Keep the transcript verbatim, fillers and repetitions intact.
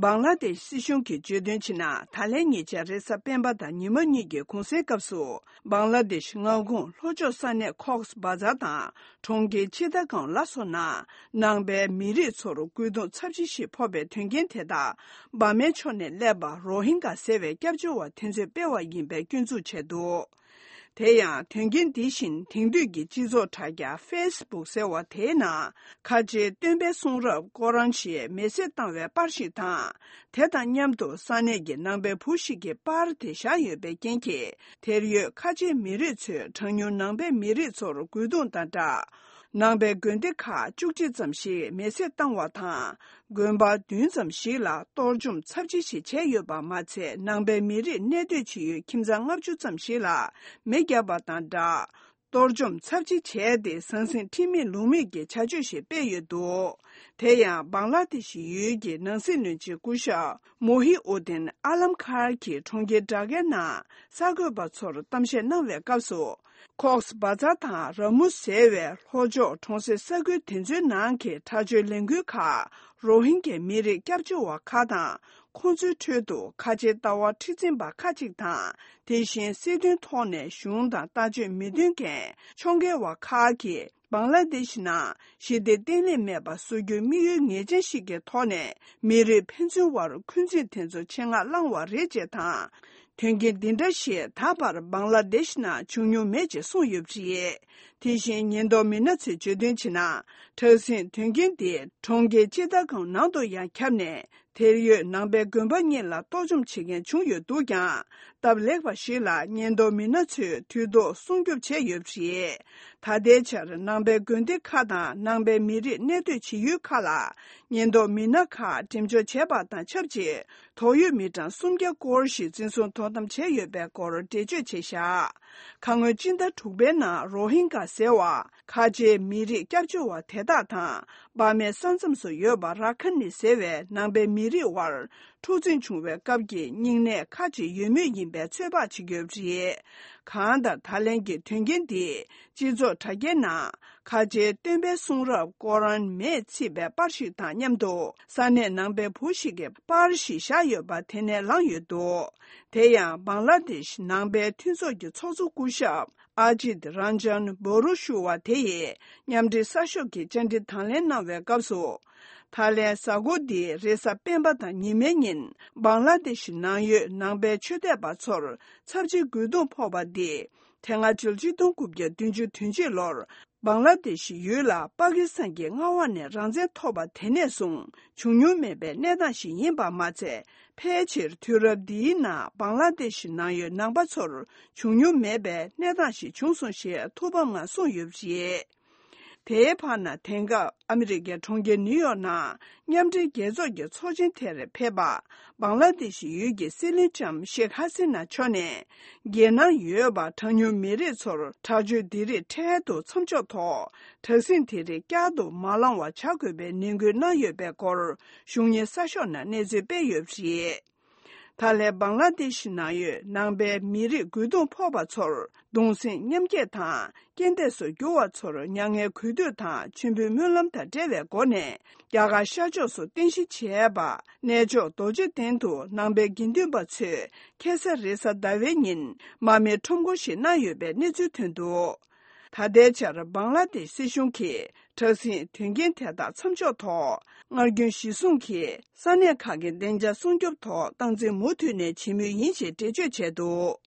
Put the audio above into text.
བང་ལ་དེ་ཤི་སྲིད་གཞུང་གིས་བརྗོད་དོན་བྱས་ན། ད་ལན་ཉེ་ཆར་རེས་གཟའ་སྤེན་པ་དང་ཉི་མ་གཉིས་ཀྱི་གུང་སེང་སྐབས་སུ། བང་ལ་དེ་ཤི་མངའ་ཁོངས་ལྷོ་ཕྱོགས་ས་གནས་ཁོག་སི་བ་ཛར་དང་གྲོང་ཁྱེར་ཅི་ཏ་གོང་ལ་སོགས་ན་ནང་པའི་མི་རིགས་ཚོར་རྒོལ་རྡུང་ཚབས་ཆེ་ཞིག་ཕོག་པའི་དོན་རྐྱེན་དེ་དག་འབར་མའི་ཕྱོགས་ནས་སླེབས་པ་རོ་ཧིན་གྷ་ཟེར་བའི་སྐྱབས་བཅོལ་བ་དེ་ཚོས་སྤེལ་བ་ཡིན་པའི་སྐྱོན་འཛུགས་བྱས་འདུག་དེ་ཡང་དོན་རྐྱེན་འདི་བཞིན་དེང་དུས་ཀྱི་སྤྱི་ཚོགས་དྲ་རྒྱ་ཕེ་སི་བུག་ཟེར་བ་དེའི་ནང་ཁ་ཆེའི་སྟོན་པའི་གསུང་རབ་ཀོ་རན་ཞེས་མེ་བསྲེགས་བཏང་བའི་པར་ཞིག་དང་། དེ་དང་མཉམ་དུ་ས་གནས་ཀྱི་ནང་པའི་བུ་ཞིག་གིས་པར་དེ་བཞག་ཡོད་པའི་རྐྱེན་གྱིས། དེར་ཡོད་ཁ་ཆེའི་མི་རིགས་ཚོས་གྲངས་ཉུང་ནང་པའི་མི་རིགས་ཚོར་རྒོལ་རྡུང་དང་སྦྲགས། ནང་པའི་དགོན་སྡེ་ཁག་བཅུ་གཅིག་ཙམ་ཞིག་མེ་བསྲེགས་བཏང་བ་དང་། དགོན་པ་བདུན་ཙམ་ཞིག་ལ་གཏོར་བཅོམ་ཚབས་ཆེ་ཞིག་བྱས་ཡོད་པ་མ་ཚད། ནང་པའི་མི་རིགས་གནས་སྡོད་བྱེད་ཡུལ་ཁྱིམ་ཚང་ལྔ་བཅུ་ཙམ་ཞིག་ལ་མེ་བརྒྱབ་པ་དང་སྦྲགས། གཏོར་བཅོམ་ཚབས་ཆེ་བྱས་ཏེ། ཟང་ཟིང་ཁྲེལ་མེད་ལུགས་མེད་ཀྱི་བྱ་སྤྱོད་ཞིག་སྤེལ་ཡོད་འདུག་དེ་ཡང་བང་ལ་དེ་ཤི་ཡུལ་གྱི་ནང་སྲིད་བློན་ཆེན་སྐུ་ཞབས་མོ་ཧི་ཨུ་དིན་ཨ་ལམ་ཁར་གྱིས་གྲོང་ཁྱེར་དྲ་རྒྱའི་ནང་གསར་འགོད་པ་ཚོར་གཏམ་བཤད་གནང་བའི་སྐབས་སུ། ཁོག་སི་བ་ཛར་དང་ར་མུ་ཟེར་བའི་ལྷོ་ཕྱོགས་གྲོང་གསེབ་ས་ཁུལ་དེ་ཚོའི་ནང་གི་དྲག་སྤྱོད་ལས་འགུལ་ཁག་རོ་ཧིན་གྱི་མི་རིགས་སྐྱབས་བཅོལ་བ་ཁག་དང་། ཁོང་ཚོའི་ཁྲོད་དུ་ཁ་ཆེའི་ལྟ་བ་མཁྲེགས་འཛིན་པ་ཁག་ཅིག་དང་། དེ་བཞིན་སྲིད་དོན་ཐོག་ནས་གཞུང་དང་ལྟ་སྤྱོད་མི་མཐུན་མཁན་ཕྱོགས་འགལ་བ་ཁག་གིས། བང་ལ་དེ་ཤི་ནང་ཞི་བདེ་བརྟན་ལྷིང་མེད་པ་བཟོ་རྒྱུའི་དམིགས་ཡུལ་ངེས་ཅན་ཞིག་གི་ཐོག་ནས། མི་རིགས་ཕན་ཚུན་བར་འཁོན་འཛིན་དེ་ཚོ་ཆེད་མངགས་བསླངས་བ་རེད་ཅེས་དང་། དོན་རྐྱེན་འདི་འདྲ་ཞིག་ད་བར་བང་ལ་དེ་ཤི་ནང་བྱུང་མྱོང་མེད་ཅེས་གསུངས་ཡོད་པ་རེད། དེ་བཞིན་ཉེན་རྟོག་མི་སྣ་ཚོས་བརྗོད་དོན་བྱས་ན། དྲག་ཟིང་དོན་རྐྱེན་དེ་གྲོང་ཁྱེར་ཅི་ཏ་གོང་ནང་དུ་ཡང་ཁྱབ་ནས། དེར་ཡོད་ནང་པའི་དགོན་པ་གཉིས་ལ་གཏོར་བཅོམ་བྱེད་མཁན་བྱུང་ཡོད་འདུག་ཀྱང་། སྟབས་ལེགས་པ་ཞིག་ལ་ཉེན་རྟོག་མི་སྣ་ཚོས་དུས་ཐོག་སྲུང་སྐྱོབ་བྱས་ཡོད་པ་རེད། ད་ལྟའི་ཆར་ནང་པའི་དགོན་སྡེ་ཁག་དང་ནང་པའི་མི་རིགས་གནས་སྡོད་བྱེད་ཡུལ་ཁག་ལ། ཉེན་རྟོག་མི་སྣ་ཁག་འགྲེམས་འཇོག་བྱས་པ་དང་ཆབས་ཅིག་དོགས་ཡོད་མི་གྲངས་སུམ་བརྒྱ་སྐོར་ཞིག་འཛིན་བཟུང་དོ་དམ་བྱས་ཡོད་པའི་སྐོར་འགྲེལ་བརྗོད་བྱས་བཞག་ཁ་སྔོན་སྤྱི་ཟླ་དྲུག་པའི་ནང་རོ་ཧིན་གྷ་ཟེར་བ་ཁ་ཆེའི་མི་རིགས་སྐྱབས་བཅོལ་བ་དེ་དག་དང་། འབར་མའི་ས་མཚམས་སུ་ཡོད་པ་ར་ཁ་ནི་ཟེར་བའི་ནང་པའི་མི་རིགས་དབར་འཁྲུག་འཛིང་བྱུང་བའི་སྐབས་ཀྱི་སྙིང་ནད་ཁག་ཅིག་ཡོད་མུས་ཡིན་པའི་ཚོད་དཔག་བྱེད་ཀྱི་ཡོད་པ་རེད། གང་ལྟར་ད་ལན་གྱི་དོན་རྐྱེན་འདིས་སྤྱི་ཚོགས་དྲ་རྒྱའི་ནང་ཁ་ཆེའི་སྟོན་པའི་གསུང་རབ་ཀོ་རན་མེས་ཚིག་པའི་པར་ཞིག་དང་མཉམ་དུ་ས་གནས་ནང་པའི་བུ་ཞིག་གིས་པར་ཞིག་བཞག་ཡོད་པ་དེ་ནས་ལངས་ཡོད་འདུག་དེ་ཡང་བང་ལ་དེ་ཤི་ནང་པའི་མཐུན་ཚོགས་ཀྱི་ཚོགས་གཙོ་སྐུ་ཞབས་ཨ་ཇིད་རན་ཇན་བོ་རུ་ཞུ་བ་དེ་ཡིས་མཉམ་འབྲེལ་གསར་ཤོག་གི་བཅར་འདྲི་དང་ལེན་གནང་བའི་སྐབས་སུ། ད་ལན་གཟའ་འཁོར་འདིའི་རེས་གཟའ་སྤེན་པ་དང་ཉི་མའི་ཉིན་བང་ལ་དེ་ཤི་ནང་ཡོད་ནང་པའི་ཆོས་དད་པ་ཚོར་ཚབས་ཆེའི་རྒོལ་རྡུང་ཕོག་པ་འདི། དེ་སྔ་ཕྱི་ལོ་ཆིག་སྟོང་དགུ་བརྒྱ་བདུན་ཅུ་དོན་གཅིག་ལོར་བང་ལ་དེ་ཤི་ཡུལ་ལ་པ་ཀི་སི་ཐན་གྱི་མངའ་འོག་ནས་རང་བཙན་ཐོབ་པ་དེ་ནས་བཟུང་བྱུང་མྱོང་མེད་པའི་གནས་སྟངས་ཤིག་ཡིན་པ་མ་ཚད། ཕལ་ཆེར་དུས་རབས་འདིའི་ནང་བང་ལ་དེ་ཤི་ནང་ཡོད་ནང་པ་ཚོར་བྱུང་མྱོང་མེད་པའི་གནས་སྟངས་ཤིག་བྱུང་སོང་ཞེས་ཐུགས་ཕམ་ངང་གསུངས་ཡོད་པ་རེད། དེའི་བར་ན་དེང་སྐབས་ཨ་མི་རི་ཀའི་གྲོང་ཁྱེར་ནིའུ་ཡོག་ནང་མཉམ་འབྲེལ་རྒྱལ་ཚོགས་ཀྱི་ཚོགས་ཆེན་དེར་ཕེབས་པ། བང་ལ་དེ་ཤི་ཡུལ་གྱི་སྲིད་བློན་ལྕམ་ཤེག་ཧ་སི་ན་མཆོག་ནས། རྒྱལ་ནང་ཡོད་པ་གྲངས་ཉུང་མི་རིགས་ཚོར་དྲག་སྤྱོད་འདི་རིགས་འཕྲལ་དུ་མཚམས་འཇོག་ཐོག་དྲག་ཟིང་དེ་རིགས་བསྐྱར་དུ་མ་ལངས་བ་བྱ་དགོས་པའི་ནན་སྐུལ་གནང་ཡོད་པའི་སྐོར་གཞུང་གཉེར་གསར་ཤོག་ནང་གནས་ཚུལ་སྤེལ་ཡོད་པ་རེད། ད་ལན་བང་ལ་དེ་ཤི་ནང་ཡོད་ནང་པའི་མི་རིགས་རྒོལ་རྡུང་ཕོག་པ་ཚོར་གདུང་སེམས་མཉམ་སྐྱེད་དང་རྐྱེན་འདས་སུ་གྱུར་བ་ཚོར་མྱ་ངན་གུས་འདུད་དང་མཆོད་འབུལ་སྨོན་ལམ་དང་འབྲེལ་བའི་སྒོ་ནས། རྒྱ་གར་ཤར་ཕྱོགས་སུ་རྟེན་གཞི་བྱས་པ་གནས་མཆོག་རྡོ་རྗེ་གདན་དུ་ནང་པའི་དགེ་འདུན་པ་ཚོས་ཁ་སང་རེས་གཟའ་ཟླ་བའི་ཉིན་མར་མེའི་ཁྲོམ་སྐོར་ཞིག་གནང་ཡོད་པའི་གནས་ཚུལ་ཐོན་འདུག་ད་ལྟའི་ཆར་བང་ལ་དེ་ཤི་སྲིད་གཞུང་གིས་དྲག་ཟིང་དོན་རྐྱེན་དེ་དག་མཚམས་འཇོག་ཐོག་སྔར་རྒྱུན་གཞིར་བཟུང་གིས་ས་གནས་ཁག་གི་བདེ་འཇགས་སྲུང་སྐྱོབ་ཐོག་སྟངས་འཛིན་མུ་མཐུད་ནས་བྱེད་མུས་ཡིན་ཞེས་འགྲེལ་བརྗོད་བྱས་འདུག